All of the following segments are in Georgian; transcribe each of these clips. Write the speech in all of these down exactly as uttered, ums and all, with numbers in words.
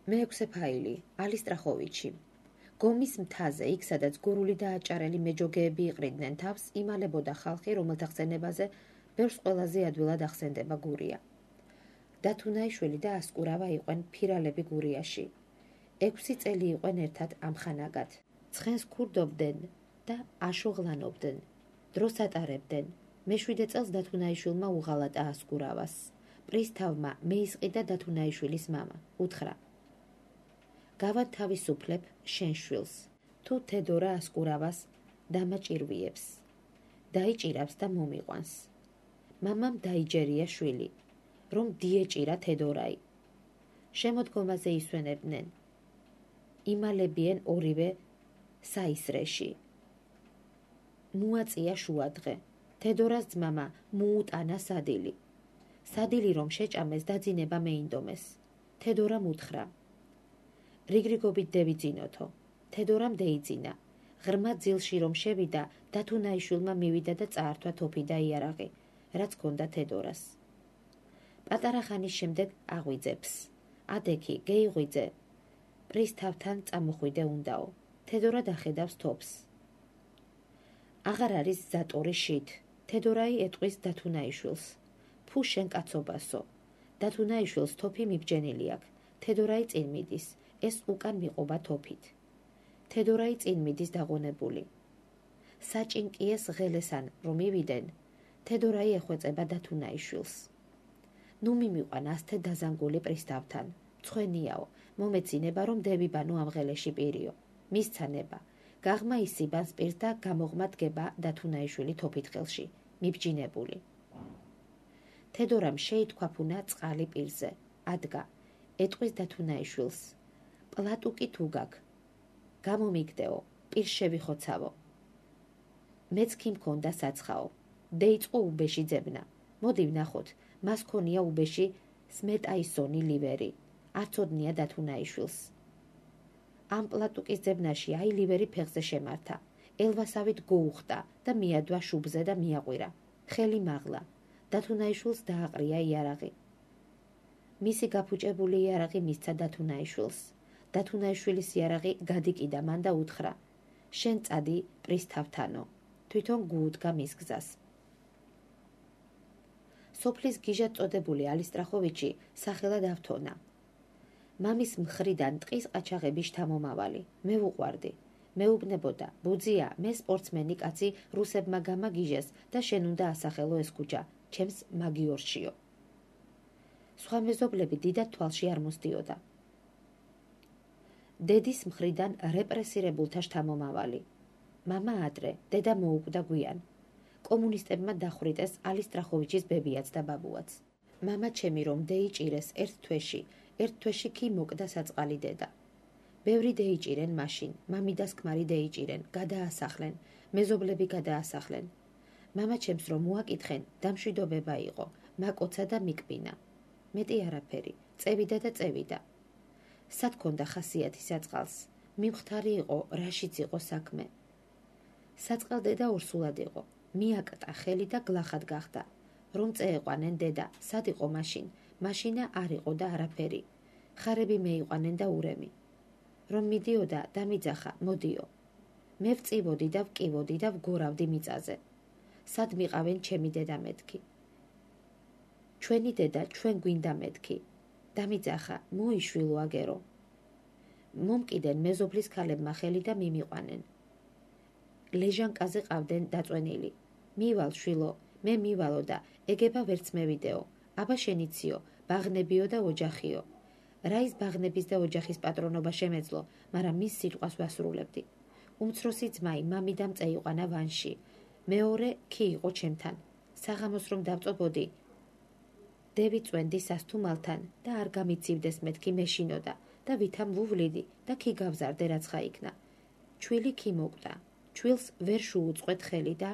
მეექვსე ფაილი ალისტრახოვიჩი. გომის მთაზე, იქ სადაც გურული და აჭარელი მეჯოგეები იყრიდნენ თავს, იმალებოდა ხალხი, რომელთა ხსენებაზე ბევრს ყველაზე ადვილად ახსენდება გურია. დათუნაიშვილი და ასკურავა იყვენ ფირალები გურიაში. ექვსი წელი იყვენ ერთად ამხანაგად. ცხენს ქურდობდნენ და აშოღლანობდნენ. დროს ატარებდნენ. მეშვიდე წელს დათუნაიშვილმა უღალატა ასკურავას. პრისთავმა მეისყიდა დათუნაიშვილის მამა. უთხრა: გავანთავისუფლებ შენ შვილს, თუ თედორა ასკურავას დამაჭირვიებს, დაიჭირავს და მომიყვანს. მამამ დაიჯერია შვილი, რომ დიეჭირა თედორაი. შემოდგომაზე ისვენებდნენ. იმალებიან ორივე საისრეში. მოაწია შუადღე. თედორას ძმამა მოუტანა სადილი. სადილი რომ შეჭამეს, დაძინება მეინდომეს. თედორამ უთხრა: რიგრიგობით დევიძინოთო. თედორამ დეიძინა. ღრმა ძილში რომ შევიდა, დათუნაიშვილმა მივიდა და წაართვა თოფი და იარაღი, რაც ჰქონდა თედორას. პატარა ხანის შემდეგ აღვიძებს. ადექი, გეიღვიძე. პრისთავთან წამოხვიდე უნდაო. თედორა დახედავს თოფს. აღარ არის ზატორი შით. თედორაი ეტყვის დათუნაიშვილს. ფუ შენ კაცობასო. დათუნაიშვილს თოფი მიბჯენილი აქვს. თედორაი წინ მიდის. ეს უკან მიყვობა თოფით. თედორაი წინ მიდის დაღონებული. საჭინკიეს ღელესან რომ მივიდნენ, თედორაი ეხვეწება დათუნაიშვილს. ნუ მიმიყვან ასთე დაზანგული პრისთავთან. მცხვენიაო, მომეცინება რომ დევიბანო ამ ღელეში პირიო. მისცანება. გაღმა ისიბანს პირს და გამოღმა დგება დათუნაიშვილი თოფით ხელში, მიბჯინებული. თედორამ შეითქვაფუნა წყალი პირზე. ადგა. ეტყვის დათუნაიშვილს. პლატუკი თუ გაქვს. გამომიგდეო, პირს შევიხოცავო. მეც კი მქონდა საცხაო. დეიწყო უბეში ძებნა. მოდი ვნახოთ, მას ქონია უბეში სმეტაისონი ლივერი. არცოდნია დათუნაიშვილს. ამ პლატუკის ძებნაში აი ლივერი ფეხზე შემართა. ელვასავით გოუხტა და მიადვა შუბზე და მიაყვირა. ხელი მაღლა. დათუნაიშვილს დააყრია იარაღი. მისი გაფუჭებული იარაღი მისცა დათუნაიშვილს. დათუნაიშვილის იარაღი გადიკიდა მან და უთხრა: შენ წადი პრისთავთანო. თვითონ გუუდგა მის გზას. სოფლის გიჟად წოდებული ალისტრახოვიჩი სახელად ავთონა. მამის მხრიდან ტყის ყაჩაღების შთამომავალი. მე ვუყვარდი. მეუბნებოდა: ბუძია, მე სპორტსმენი კაცი რუსებმა გამაგიჟეს და შენ უნდა ასახელო ეს ქუჩა, ჩემს მაგიორშიო. სხვა მეზობლები დიდად თვალში არ მოსდიოდა. დედის მხრიდან რეპრესირებულთა შთამომავალი. მამა ადრე, დედა მოუკვდა გვიან. კომუნისტებმა დახვრიტეს ალისტრახოვიჩის ბებიაც და ბაბუაც. მამა ჩემი რომ დეიჭირეს ერთ თვეში, ერთ თვეში კი მოკდა საწყალი დედა. ბევრი დეიჭირენ მაშინ, მამიდას ქმარი დეიჭირენ, გადაასახლენ, მეზობლები გადაასახლენ. მამა ჩემს რომ მოაკითხენ, დამშვიდობება იყო, მაკოცა და მიკბინა. მეტი არაფერი, წევიდა და წევიდა. სად ქონდა ხასიათი საწყალს, მიმხდარი იყო, რაშიც იყო საქმე. საწყალ დედა ორსულად იყო, მიაკტა ხელი და გლახად გახდა. რომ წეეყვანენ დედა, სად იყო მაშინ, მაშინა არ იყო და არაფერი. ხარები მეიყვანენ და ურემი. რომ მიდიოდა, დამიძახა, მოდიო. მე ვწივოდი და ვკივოდი და ვგორავდი მიწაზე. სად მიყავენ ჩემი დედა მეთქი. ჩვენი დედა ჩვენ გვინდა მეთქი. დამიძახა, მოიშვილო აგერო. მომკიდენ მეზობლის ქალებმა ხელი და მიმიყვანენ. ლეჟანკაზე ყავდნენ დაწვენილი. მივალ შვილო, მე მივალო და ეგება ვერც მევიდეო. აბა შენიციო, ბაღნებიო და ოჯახიო. რა ის ბაღნების და ოჯახის პატრონობა შემეძლო, მაგრამ მის სიტყვას ვასრულებდი. უმცროსი ძმაი მამიდამ წეიყვანა ვანში. მეორე კი იყო ჩემთან. საღამოს რომ დავწობოდი, დევი წვენდი სასთუმალთან და არ გამიცივდეს მეთქი მეშინოდა და ვითამ ვუვლიდი და კი გავზარდე რაც ხაიქნა. ჩვილი კი მოკვდა. ჩვილს ვერ შუუწყვეთ ხელი და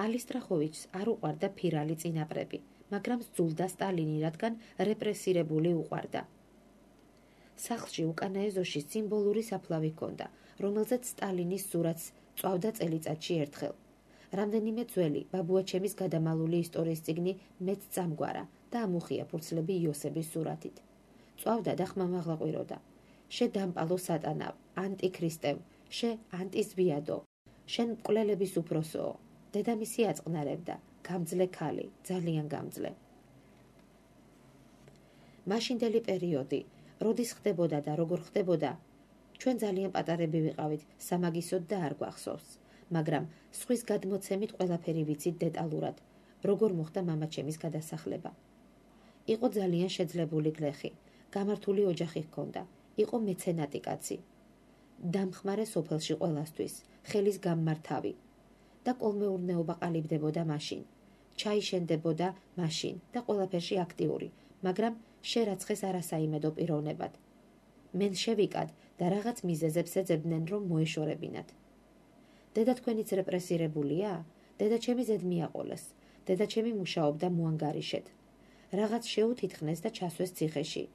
ალისტრახოვიჩს არ უყვარდა ფირალი წინაპრები, მაგრამ სძულდა სტალინი, რადგან რეპრესირებული უყვარდა. სახლში უკანა ეზოში სიმბოლური საფლავი ჰქონდა, რომელზეც სტალინის სურათს წვავდა წელიწადში ერთხელ. რამდენიმე ძველი ბაბუაჩემის გადამალული ისტორიის წიგნი მეც წამგვარა და ამუხია ფურცლები იოსების სურათით. წვავდა და ხმამაღლა ყვიროდა. შე დამპალო სატანა, ანტიქრისტევ, შე ანტიზვიადო, შენ მკვლელების უფროსოო. დედამისი აწყნარებდა, გამძლე ქალი, ძალიან გამძლე. მაშინდელი პერიოდი, როდის ხდებოდა და როგორ ხდებოდა, ჩვენ ძალიან პატარები ვიყავით, სამაგისოდ და არ გვახსოვს, მაგრამ სხვის გადმოცემით ყველაფერი ვიცით დეტალურად, როგორ მოხდა მამაჩემის გადასახლება. იყო ძალიან შეძლებული გლეხი, გამართული ოჯახი ჰქონდა, იყო მეცენატი კაცი. დამხმარე სოფელში ყველასთვის, ხელის გამმართავი და კოლმეურნეობა ყალიბდებოდა მაშინ. ჩაიშენდებოდა მაშინ და ყველაფერში აქტიური, მაგრამ შერაცხეს არასაიმედო პიროვნებად. მენ შევიკად და რაღაც მიზეზებს ეძებდნენ, რომ მოეშორებინათ. დედა თქვენიც რეპრესირებულია? დედა ჩემი ზედ მიაყოლეს. დედა ჩემი მუშაობდა მოანგარიშეთ. რაღაც შეუთითხნეს და ჩასვეს ციხეში.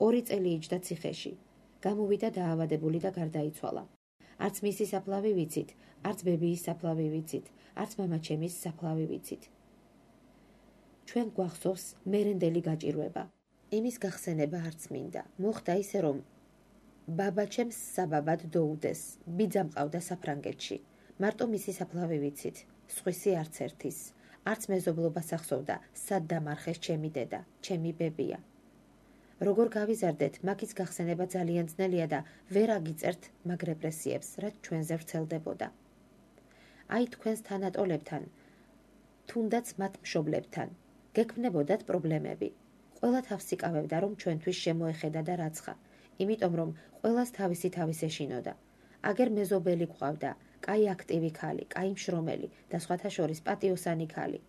ორი წელი იჯდა ციხეში. გამოვიდა დაავადებული და გარდაიცვალა. არც მისი საფლავი ვიცით, არც ბებიის საფლავი ვიცით, არც მამაჩემის საფლავი ვიცით. ჩვენ გვახსოვს მერენდელი გაჭირვება. იმის გახსენება არც მინდა. მოხდა ისე, რომ ბაბაჩემს საბაბად დაუდეს. ბიძა მყავდა საფრანგეთში. მარტო მისი საფლავი ვიცით, სხვისი არც ერთის. არც მეზობლობას ახსოვდა, სად დამარხეს ჩემი დედა, ჩემი ბებია. როგორ გავიზარდეთ, მაგის გახსენება ძალიან ძნელია და ვერ აგიწერთ მაგ რეპრესიებს, რაც ჩვენზე ვრცელდებოდა. აი თქვენს თანატოლებთან, თუნდაც მათ მშობლებთან, გექმნებოდათ პრობლემები. ყველა თავს იკავებდა, რომ ჩვენთვის შემოეხედა და რაცხა, იმიტომ რომ ყველას თავისი თავის ეშინოდა. აგერ მეზობელი გვყავდა, კაი აქტივი ქალი, კაი მშრომელი და სხვათა შორის პატიოსანი ქალი.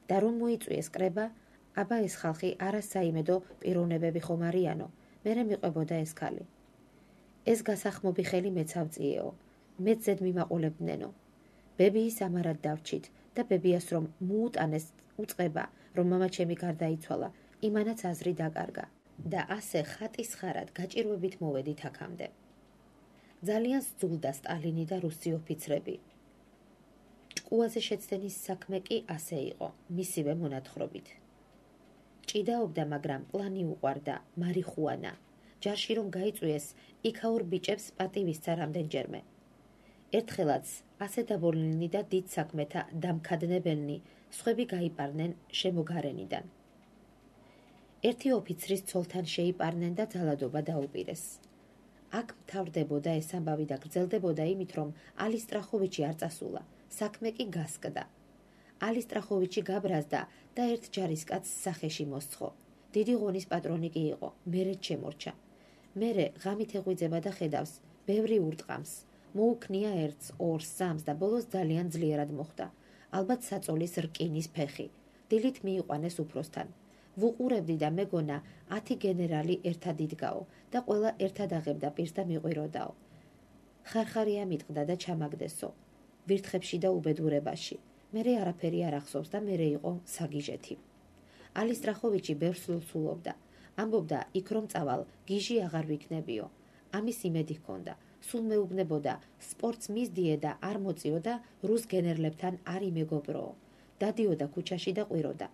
და რომ მოიწვიეს კრება, აბა ეს ხალხი არასაიმედო პიროვნებები ხომ არიანო, მერე მიყვებოდა ეს ქალი. ეს გასახმობი ხელი მეც ავწიეო, მეც ზედ მიმაყოლებდნენო. ბებიის ამარად დავრჩით და ბებიას რომ მოუტანეს უწყება, რომ მამაჩემი გარდაიცვალა, იმანაც აზრი დაკარგა. და ასე ხატის ხარად გაჭირვებით მოვედით აქამდე. ძალიან სძულდა სტალინი და რუსი ოფიცრები. ჭკუაზე შეცდენის საქმე კი ასე იყო, მისივე მონათხრობით. ჭიდაობდა, მაგრამ პლანი უყვარდა, მარიხუანა. ჯარში რომ გაიწვიეს, იქაურ ბიჭებს პატივისცა რამდენჯერმე. ერთხელაც ასე დაბოლნილნი და დიდ საქმეთა დამქადნებელნი, სხვები გაიპარნენ შემოგარენიდან. ერთი ოფიცრის ცოლთან შეიპარნენ და ძალადობა დაუპირეს. აქ მთავრდებოდა ეს ამბავი და გრძელდებოდა იმით, რომ ალისტრახოვიჩი არ წასულა, საქმე კი გასკდა. ალისტრახოვიჩი გაბრაზდა და ერთ ჯარისკაცს სახეში მოსცხო. დიდი ღონის პატრონი კი იყო, მერე შემორჩა. მერე ღამით ეღვიძება და ხედავს, ბევრი ურტყამს. მოუქნია ერთს, ორს, სამს და ბოლოს ძალიან ძლიერად მოხვდა. ალბათ საწოლის რკინის ფეხი. დილით მიიყვანეს უფროსთან. ვუყურებდი და მეგონა ათი გენერალი ერთად იდგაო და ყველა ერთად აღებდა პირს და მიყვიროდაო. ხარხარია მიტყდა და ჩამაგდესო. ვირთხებში და უბედურებაში. მერე არაფერი არ ახსოვს და მერე იყო საგიჟეთი. ალისტრახოვიჩი ბევრს ლოცულობდა. ამბობდა, იქ რომ წავალ, გიჟი აღარ ვიქნებიო. ამის იმედი ჰქონდა. სულ მეუბნებოდა, სპორტს მისდიე და არ მოწიო და რუს გენერლებთან არ იმეგობროო. დადიოდა ქუჩაში და ყვიროდა.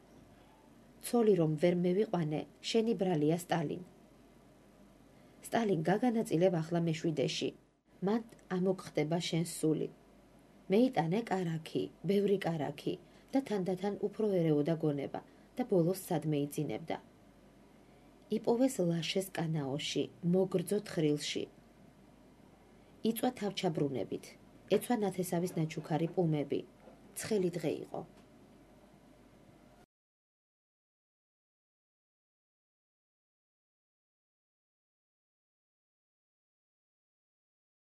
ცოლი რომ ვერ მევიყვანე, შენი ბრალია სტალინ. სტალინ გაგანაწილებ ახლა მეშვიდეში. მან ამოგხდება შენს სული. მეიტანე კარაქი, ბევრი კარაქი და თანდათან უფრო ერეოდა გონება და ბოლოს სადმე იძინებდა. იპოვეს ლაშეს კანაოში, მოგრძო თხრილში. იწვა თავჩაბრუნებით, ეცვა ნათესავის ნაჩუქარი პუმები. ცხელი დღე იყო.